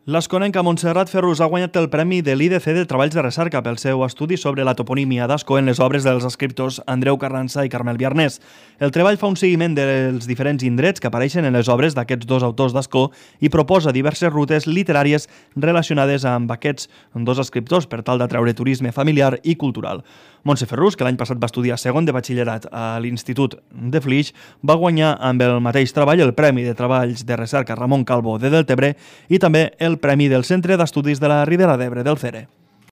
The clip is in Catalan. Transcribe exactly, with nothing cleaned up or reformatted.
L'esconenca Montserrat Ferrus ha guanyat el Premi de l'I D C de Treballs de Recerca pel seu estudi sobre la toponímia d'Ascó en les obres dels escriptors Andreu Carranza i Carmel Biarnés. El treball fa un seguiment dels diferents indrets que apareixen en les obres d'aquests dos autors d'Ascó i proposa diverses rutes literàries relacionades amb aquests dos escriptors per tal d'atreure turisme familiar i cultural. Montse Ferrus, que l'any passat va estudiar segon de batxillerat a l'Institut de Flix, va guanyar amb el mateix treball el Premi de Treballs de Recerca Ramon Calvo de Deltebre i també el Premi del Centre d'Estudis de la Ribera d'Ebre del C E R E.